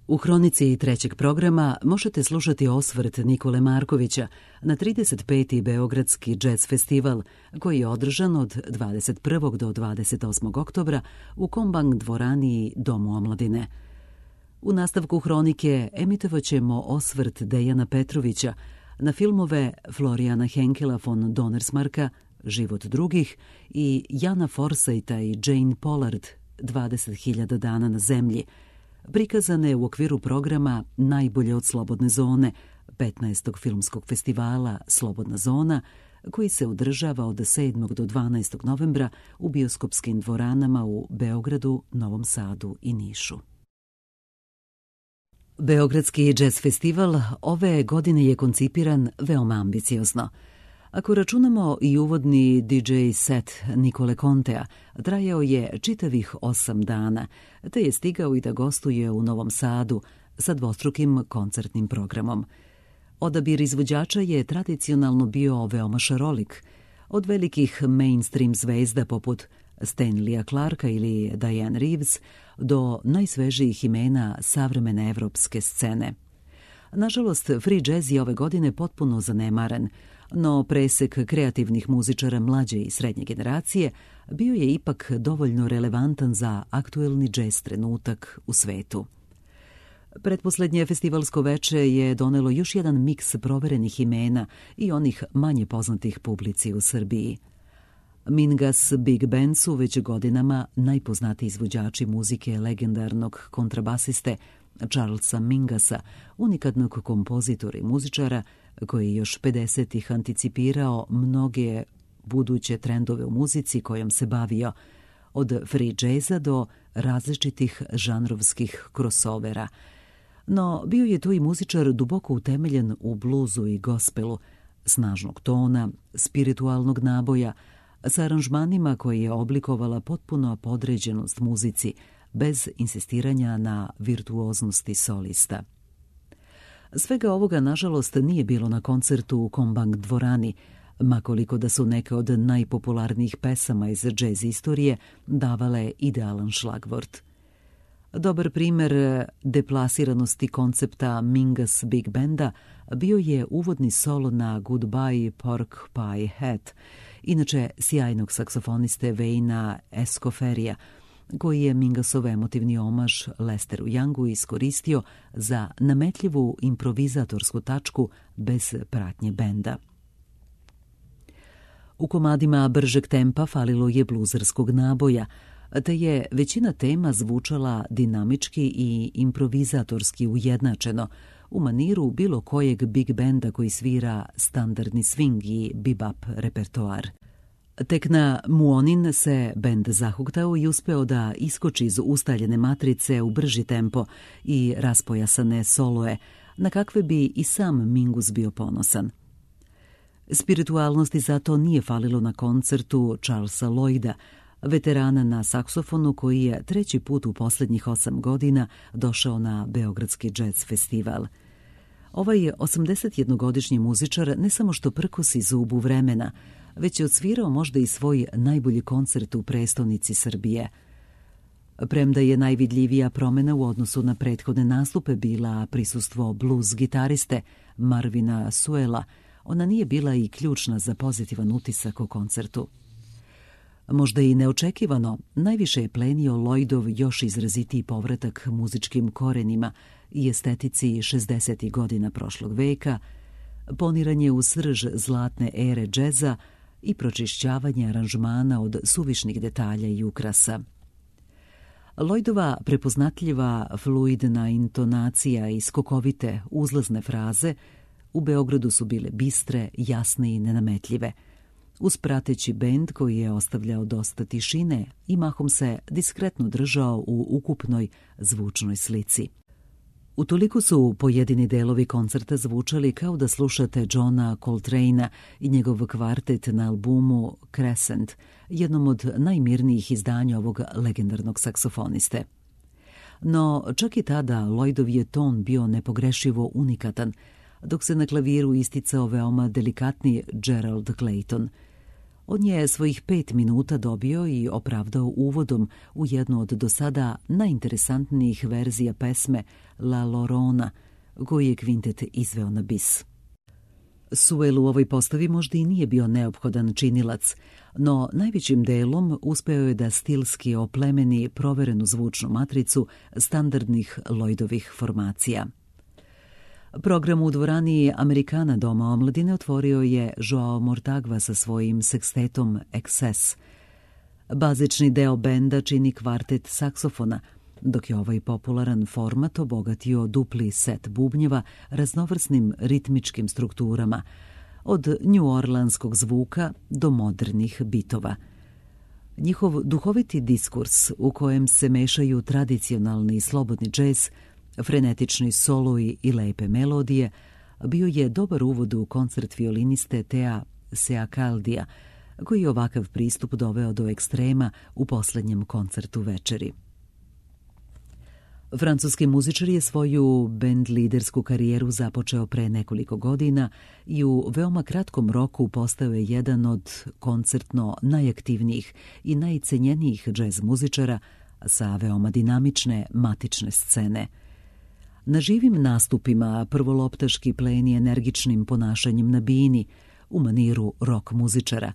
U hronici trećeg programa možete slušati osvrt Nikole Markovića na 35. Beogradski džez festival koji je održan od 21. do 28. oktobra u Kombang dvorani Domu omladine. U nastavku hronike emitovat ćemo osvrt Dejana Petrovića na filmove Florijana Henkela von Donnersmarka Život drugih i Jana Forsajta i Jane Pollard 20.000 dana na zemlji, prikazane u okviru programa Najbolje od slobodne zone, 15. filmskog festivala Slobodna zona, koji se održava od 7. do 12. novembra u bioskopskim dvoranama u Beogradu, Novom Sadu i Nišu. Beogradski džez festival ove godine je koncipiran veoma ambiciozno. Ako računamo i uvodni DJ set Nikole Contea, trajao je čitavih 8 dana, te je stigao i da gostuje u Novom Sadu sa dvostrukim koncertnim programom. Odabir izvođača je tradicionalno bio veoma šarolik, od velikih mainstream zvezda poput Stanleya Clarka ili Diane Reeves do najsvežijih imena savremene evropske scene. Nažalost, free jazz je ove godine potpuno zanemaren, no presek kreativnih muzičara mlađe i srednje generacije bio je ipak dovoljno relevantan za aktuelni džez trenutak u svetu. Pretposlednje festivalsko veče je donelo još jedan miks proverenih imena i onih manje poznatih publici u Srbiji. Mingus Big Band su već godinama najpoznatiji izvođači muzike legendarnog kontrabasiste Charlesa Mingasa, unikatnog kompozitora i muzičara koji je još 50-ih anticipirao mnoge buduće trendove u muzici kojom se bavio, od free jazza do različitih žanrovskih crossovera. No, bio je tu i muzičar duboko utemeljen u bluzu i gospelu, snažnog tona, spiritualnog naboja, sa aranžmanima koje je oblikovala potpuno podređenost muzici, bez insistiranja na virtuoznosti solista. Svega ovoga, nažalost, nije bilo na koncertu u Kombang dvorani, makoliko da su neke od najpopularnijih pesama iz džez istorije davale idealan šlagvort. Dobar primer deplasiranosti koncepta Mingus Big Banda bio je uvodni solo na Goodbye Pork Pie Hat, inače sjajnog saksofoniste Wayna Escofferija, koji je Mingusov emotivni omaž Lesteru Youngu iskoristio za nametljivu improvizatorsku tačku bez pratnje benda. U komadima bržeg tempa falilo je bluzerskog naboja, te je većina tema zvučala dinamički i improvizatorski ujednačeno, u maniru bilo kojeg big benda koji svira standardni swing i bebop repertoar. Tek na Muonin se bend zahuktao i uspeo da iskoči iz ustaljene matrice u brži tempo i raspojasane soloe, na kakve bi i sam Mingus bio ponosan. Spiritualnosti zato nije falilo na koncertu Charlesa Lloyda, veterana na saksofonu koji je treći put u posljednjih 8 godina došao na Beogradski džez festival. Ovaj 81-godišnji muzičar ne samo što prkosi zubu vremena, već je odsvirao možda i svoj najbolji koncert u prestonici Srbije. Premda je najvidljivija promjena u odnosu na prethodne nastupe bila prisustvo blues gitariste Marvina Suela, ona nije bila i ključna za pozitivan utisak o koncertu. Možda i neočekivano, najviše je plenio Lloydov još izrazitiji povratak muzičkim korenima i estetici 60. godina prošlog veka, poniranje u srž zlatne ere džeza i pročišćavanje aranžmana od suvišnih detalja i ukrasa. Lloydova prepoznatljiva fluidna intonacija i skokovite uzlazne fraze u Beogradu su bile bistre, jasne i nenametljive, uz prateći bend koji je ostavljao dosta tišine i mahom se diskretno držao u ukupnoj zvučnoj slici. Utoliko su pojedini delovi koncerta zvučali kao da slušate Johna Coltrane'a i njegov kvartet na albumu Crescent, jednom od najmirnijih izdanja ovog legendarnog saksofoniste. No, čak i tada Lloydov je ton bio nepogrešivo unikatan, dok se na klaviru isticao veoma delikatni Gerald Clayton. On je svojih 5 minuta dobio i opravdao uvodom u jednu od do sada najinteresantnijih verzija pesme La Llorona, koju je kvintet izveo na bis. Sewell u ovoj postavi možda i nije bio neophodan činilac, no najvećim delom uspeo je da stilski oplemeni proverenu zvučnu matricu standardnih Lloydovih formacija. Program u dvorani Amerikana Doma omladine otvorio je Joao Mortagua sa svojim sekstetom Excess. Bazični deo benda čini kvartet saksofona, dok je ovaj popularan format obogatio dupli set bubnjeva raznovrsnim ritmičkim strukturama, od njuorlanskog zvuka do modernih bitova. Njihov duhoviti diskurs u kojem se mešaju tradicionalni i slobodni džez, frenetični soloji i lepe melodije, bio je dobar uvod u koncert violiniste Thea Seacaldija, koji je ovakav pristup doveo do ekstrema u poslednjem koncertu večeri. Francuski muzičar je svoju bend lidersku karijeru započeo pre nekoliko godina i u veoma kratkom roku postao je jedan od koncertno najaktivnijih i najcenjenijih džez muzičara sa veoma dinamične matične scene. Na živim nastupima prvoloptaški pleni energičnim ponašanjem na bini u maniru rock muzičara,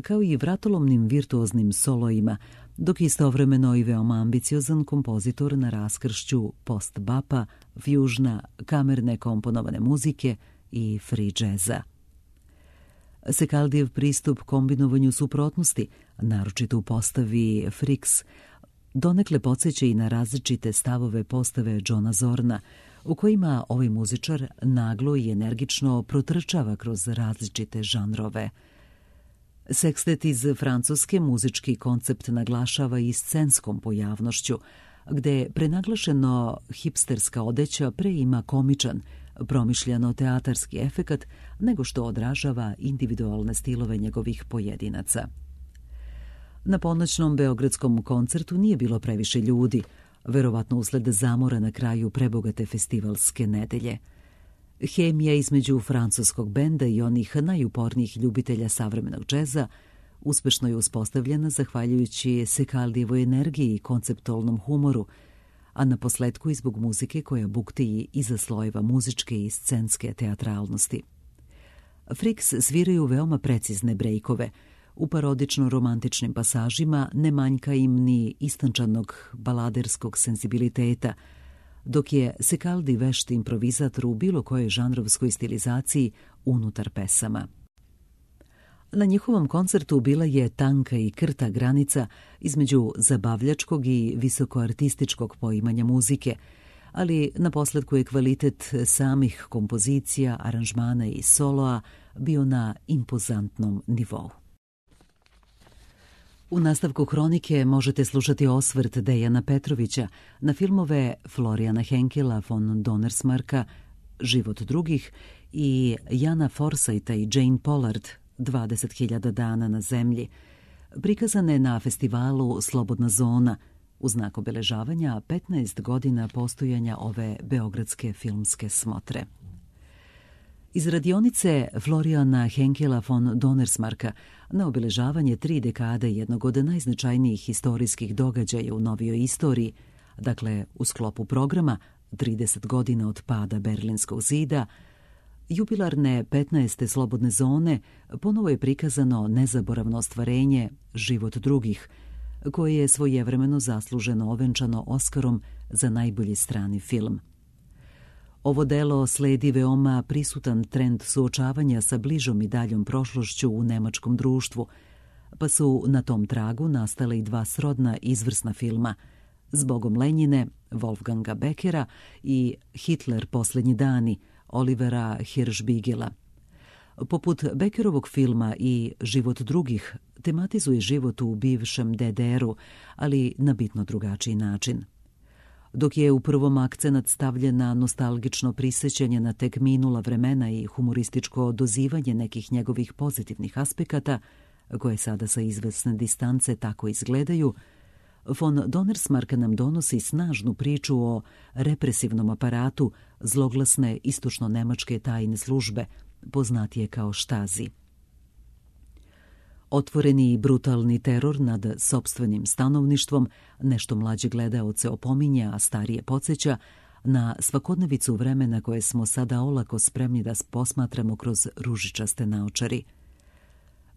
kao i vratolomnim virtuoznim soloima, dok istovremeno i veoma ambiciozan kompozitor na raskršću post-bapa, fjužna, kamerne komponovane muzike i free džeza. Secaldijev pristup kombinovanju suprotnosti, naročito u postavi Fricks, donekle podsjeća i na različite stavove postave Johna Zorna, u kojima ovaj muzičar naglo i energično protrčava kroz različite žanrove. Sekstet iz Francuske muzički koncept naglašava i scenskom pojavnošću, gde prenaglašeno hipsterska odeća pre ima komičan, promišljeno teatarski efekat, nego što odražava individualne stilove njegovih pojedinaca. Na ponoćnom beogradskom koncertu nije bilo previše ljudi, verovatno usled zamora na kraju prebogate festivalske nedelje. Hemija između francuskog benda i onih najupornijih ljubitelja savremenog džeza uspešno je uspostavljena zahvaljujući Secaldijevoj energiji i konceptualnom humoru, a na posledku i zbog muzike koja bukti iza slojeva muzičke i scenske teatralnosti. Fricks sviraju veoma precizne brejkove. U parodično-romantičnim pasažima ne manjka im ni istančanog baladerskog senzibiliteta, dok je Secaldi vešt improvizator u bilo kojoj žanrovskoj stilizaciji unutar pesama. Na njihovom koncertu bila je tanka i krta granica između zabavljačkog i visokoartističkog poimanja muzike, ali naposledku je kvalitet samih kompozicija, aranžmana i soloa bio na impozantnom nivou. U nastavku hronike možete slušati osvrt Dejana Petrovića na filmove Florijana Henkela von Donnersmarka Život drugih i Jana Forsajta i Jane Pollard 20.000 dana na zemlji, prikazane na festivalu Slobodna zona u znak obeležavanja 15 godina postojanja ove beogradske filmske smotre. Iz radionice Florijana Henkela von Donnersmarka na obeležavanje 3 dekade jednog od najznačajnijih istorijskih događaja u novijoj istoriji, dakle u sklopu programa 30 godina od pada Berlinskog zida, jubilarne 15. Slobodne zone ponovo je prikazano nezaboravno ostvarenje Život drugih, koje je svojevremeno zasluženo ovenčano Oskarom za najbolji strani film. Ovo delo sledi veoma prisutan trend suočavanja sa bližom i daljom prošlošću u nemačkom društvu, pa su na tom tragu nastale i 2 srodna izvrsna filma Zbogom Lenjine, Wolfganga Beckera i Hitler posljednji dani, Olivera Hirschbiegela. Poput Beckerovog filma i Život drugih tematizuje život u bivšem DDR-u, ali na bitno drugačiji način. Dok je u prvom akcenat stavljen na nostalgično prisjećanje na tek minula vremena i humorističko dozivanje nekih njegovih pozitivnih aspekata, koje sada sa izvesne distance tako izgledaju, von Donnersmark nam donosi snažnu priču o represivnom aparatu zloglasne istočno-nemačke tajne službe, poznatije kao Štazi. Otvoreni i brutalni teror nad sopstvenim stanovništvom nešto mlađe gledaoce opominja, a starije podsjeća na svakodnevicu vremena koje smo sada olako spremni da posmatramo kroz ružičaste naočari.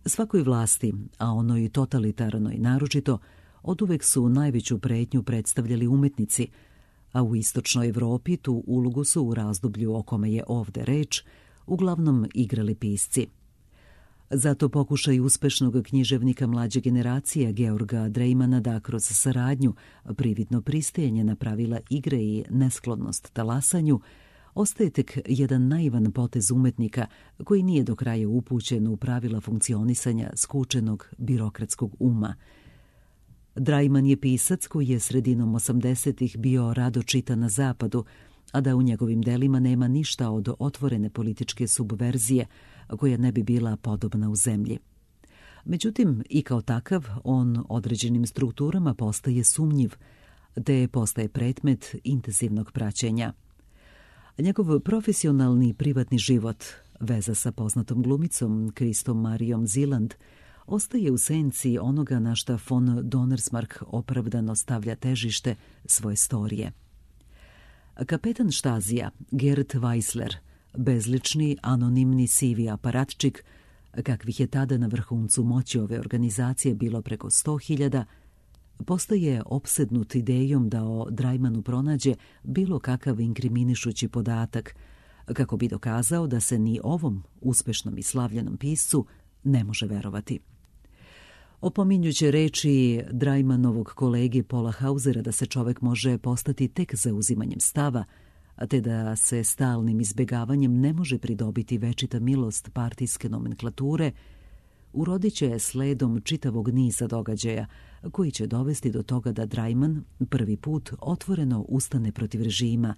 Svakoj vlasti, a onoj totalitarnoj naročito, oduvek su najveću pretnju predstavljali umetnici, a u istočnoj Evropi tu ulogu su u razdoblju o kome je ovde reč uglavnom igrali pisci. Zato pokušaj uspešnog književnika mlađe generacije Georga Dreimana da kroz saradnju, prividno pristajanje na pravila igre i nesklonnost talasanju ostaje tek jedan naivan potez umetnika koji nije do kraja upućen u pravila funkcionisanja skučenog birokratskog uma. Dreiman je pisac koji je sredinom 80-ih bio rado čitan na zapadu, a da u njegovim delima nema ništa od otvorene političke subverzije koja ne bi bila podobna u zemlji. Međutim, i kao takav, on određenim strukturama postaje sumnjiv, te postaje predmet intenzivnog praćenja. Njegov profesionalni i privatni život, veza sa poznatom glumicom Kristom Marijom Ziland, ostaje u senci onoga na šta von Donnersmarck opravdano stavlja težište svoje storije. Kapetan Štazija, Gerd Weissler, bezlični, anonimni sivi aparatčik, kakvih je tada na vrhuncu moći ove organizacije bilo preko 100.000, postaje opsednut idejom da o Dreimanu pronađe bilo kakav inkriminišući podatak, kako bi dokazao da se ni ovom uspešnom i slavljenom piscu ne može verovati. Opominjuće reči Dreimanovog kolege Paula Hausera da se čovek može postati tek zauzimanjem stava, te da se stalnim izbegavanjem ne može pridobiti večita milost partijske nomenklature, urodit će sledom čitavog niza događaja koji će dovesti do toga da Dreiman prvi put otvoreno ustane protiv režima,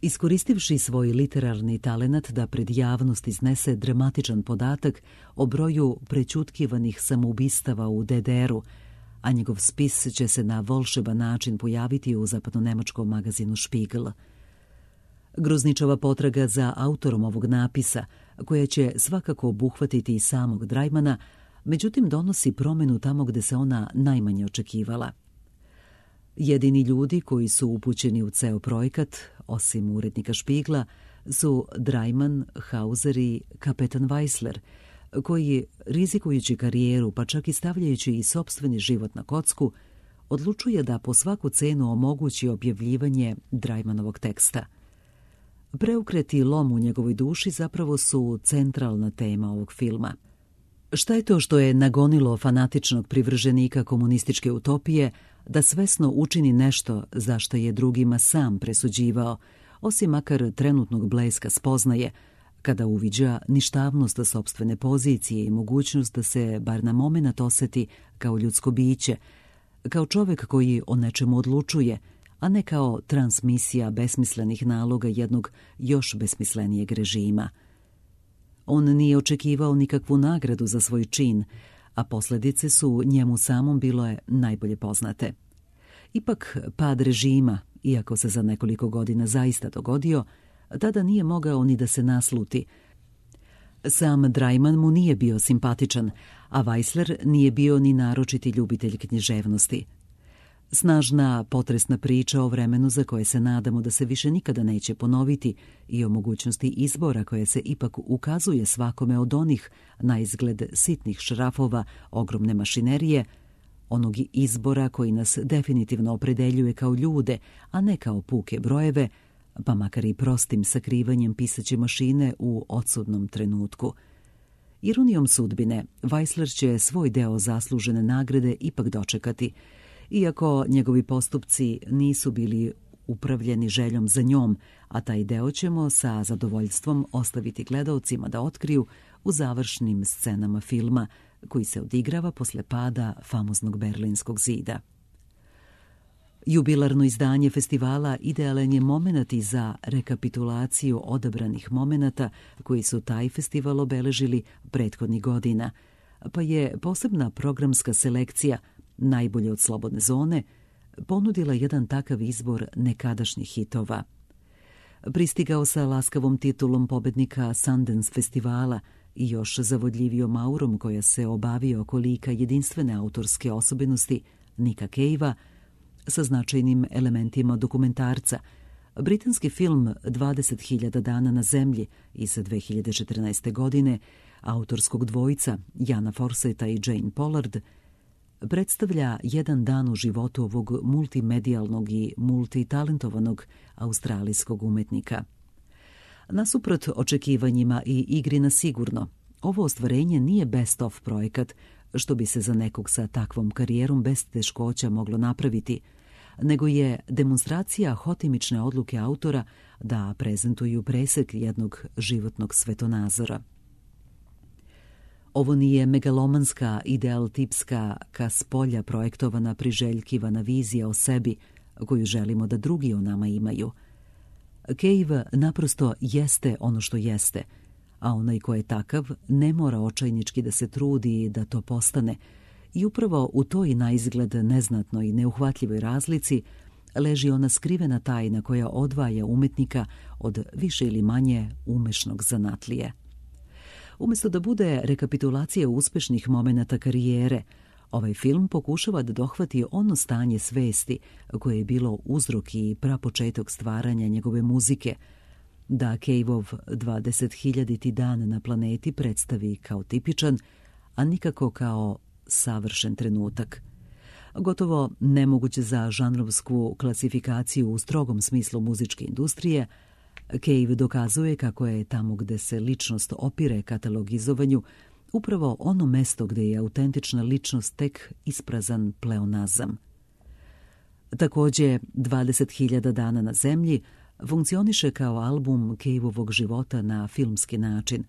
iskoristivši svoj literarni talenat da pred javnost iznese dramatičan podatak o broju prećutkivanih samoubistava u DDR-u, a njegov spis će se na volšeban način pojaviti u zapadno-nemačkom magazinu Spiegel. Grozničava potraga za autorom ovog napisa, koja će svakako obuhvatiti i samog Dreimana, međutim donosi promenu tamo gde se ona najmanje očekivala. Jedini ljudi koji su upućeni u ceo projekat, osim urednika Špigla, su Dreiman, Hauser i kapetan Weissler, koji, rizikujući karijeru pa čak i stavljajući i sopstveni život na kocku, odlučuje da po svaku cenu omogući objavljivanje Dreimanovog teksta. Preokret i lom u njegovoj duši zapravo su centralna tema ovog filma. Šta je to što je nagonilo fanatičnog privrženika komunističke utopije da svesno učini nešto za što je drugima sam presuđivao, osim makar trenutnog bleska spoznaje, kada uviđa ništavnost sopstvene pozicije i mogućnost da se bar na momenat oseti kao ljudsko biće, kao čovek koji o nečemu odlučuje, a ne kao transmisija besmislenih naloga jednog još besmislenijeg režima. On nije očekivao nikakvu nagradu za svoj čin, a posljedice su njemu samom bile najbolje poznate. Ipak pad režima, iako se za nekoliko godina zaista dogodio, tada nije mogao ni da se nasluti. Sam Dreiman mu nije bio simpatičan, a Weissler nije bio ni naročiti ljubitelj književnosti. Snažna, potresna priča o vremenu za koje se nadamo da se više nikada neće ponoviti i o mogućnosti izbora koje se ipak ukazuje svakome od onih na izgled sitnih šrafova ogromne mašinerije, onog izbora koji nas definitivno opredeljuje kao ljude, a ne kao puke brojeve, pa makar i prostim sakrivanjem pisaće mašine u odsudnom trenutku. Ironijom sudbine, Weissler će svoj deo zaslužene nagrade ipak dočekati, iako njegovi postupci nisu bili upravljeni željom za njom, a taj deo ćemo sa zadovoljstvom ostaviti gledaocima da otkriju u završnim scenama filma, koji se odigrava posle pada famoznog Berlinskog zida. Jubilarno izdanje festivala idealan je momenat i za rekapitulaciju odabranih momenata koji su taj festival obeležili prethodnih godina, pa je posebna programska selekcija Najbolje od slobodne zone ponudila jedan takav izbor nekadašnjih hitova. Pristigao sa laskavom titulom pobednika Sundance festivala i još zavodljivijom aurom koja se obavio oko lika jedinstvene autorske osobenosti Nicka Cavea, sa značajnim elementima dokumentarca, britanski film 20.000 dana na zemlji iz 2014. godine autorskog dvojica Jana Forseta i Jane Pollard predstavlja jedan dan u životu ovog multimedijalnog i multitalentovanog australijskog umetnika. Nasuprot očekivanjima i igri na sigurno, ovo ostvarenje nije best of projekat, što bi se za nekog sa takvom karijerom bez teškoća moglo napraviti, nego je demonstracija hotimične odluke autora da prezentuju presek jednog životnog svetonazora. Ovo nije megalomanska, idealtipska, ka spolja projektovana priželjkivana vizija o sebi koju želimo da drugi o nama imaju. Cave naprosto jeste ono što jeste, a onaj ko je takav ne mora očajnički da se trudi da to postane, i upravo u toj naizgled neznatnoj i neuhvatljivoj razlici leži ona skrivena tajna koja odvaja umetnika od više ili manje umešnog zanatlije. Umjesto da bude rekapitulacija uspešnih momenata karijere, ovaj film pokušava da dohvati ono stanje svesti koje je bilo uzrok i prapočetak stvaranja njegove muzike, da Caveov 20.000. dan na planeti predstavi kao tipičan, a nikako kao savršen trenutak. Gotovo nemoguće za žanrovsku klasifikaciju u strogom smislu muzičke industrije, Cave dokazuje kako je tamo gde se ličnost opire katalogizovanju upravo ono mesto gde je autentična ličnost tek isprazan pleonazam. Takođe, 20.000 dana na zemlji funkcioniše kao album Caveovog života na filmski način,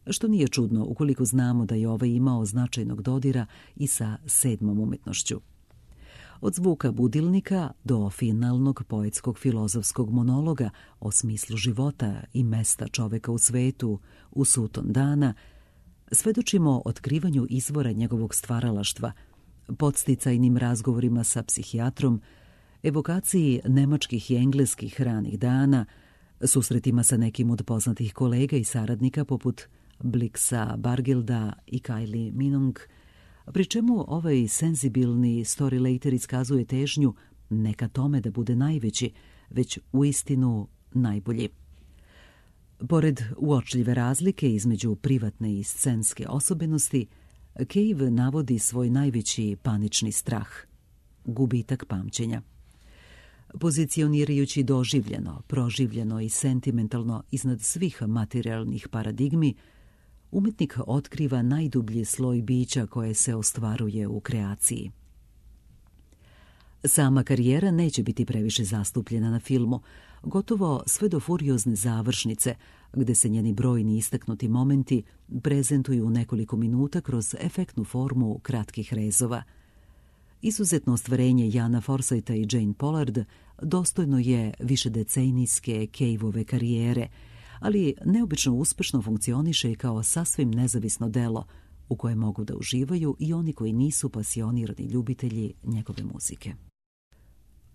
što nije čudno ukoliko znamo da je ovaj imao značajnog dodira i sa sedmom umetnošću. Od zvuka budilnika do finalnog poetskog filozofskog monologa o smislu života i mesta čoveka u svetu u suton dana, svedočimo otkrivanju izvora njegovog stvaralaštva, podsticajnim razgovorima sa psihijatrom, evokaciji nemačkih i engleskih ranih dana, susretima sa nekim od poznatih kolega i saradnika poput Blixa Bargilda i Kylie Minogue, pri čemu ovaj senzibilni storylater iskazuje težnju ne ka tome da bude najveći, već uistinu najbolji. Pored uočljive razlike između privatne i scenske osobenosti, Cave navodi svoj najveći panični strah – gubitak pamćenja. Pozicionirajući doživljeno, proživljeno i sentimentalno iznad svih materijalnih paradigmi, umetnik otkriva najdublji sloj bića koje se ostvaruje u kreaciji. Sama karijera neće biti previše zastupljena na filmu, gotovo sve do furiozne završnice, gde se njeni brojni istaknuti momenti prezentuju u nekoliko minuta kroz efektnu formu kratkih rezova. Izuzetno ostvarenje Jana Forseta i Jane Pollard dostojno je višedecenijske Caveove karijere, ali neobično uspešno funkcioniše i kao sasvim nezavisno delo u koje mogu da uživaju i oni koji nisu pasionirani ljubitelji njegove muzike.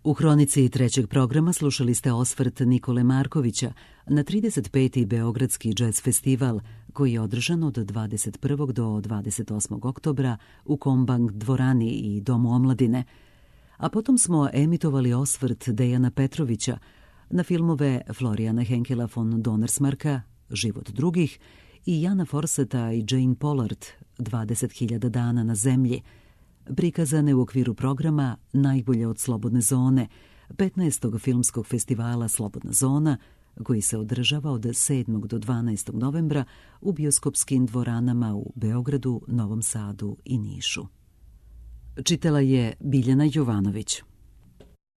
U hronici trećeg programa slušali ste osvrt Nikole Markovića na 35. Beogradski džez festival koji je održan od 21. do 28. oktobra u Kombank dvorani i Domu omladine, a potom smo emitovali osvrt Dejana Petrovića na filmove Florijana Henkela von Donnersmarka Život drugih i Jana Forseta i Jane Pollard 20.000 dana na zemlji, prikazane u okviru programa Najbolje od slobodne zone, 15. filmskog festivala Slobodna zona, koji se održava od 7. do 12. novembra u bioskopskim dvoranama u Beogradu, Novom Sadu i Nišu. Čitala je Biljana Jovanović.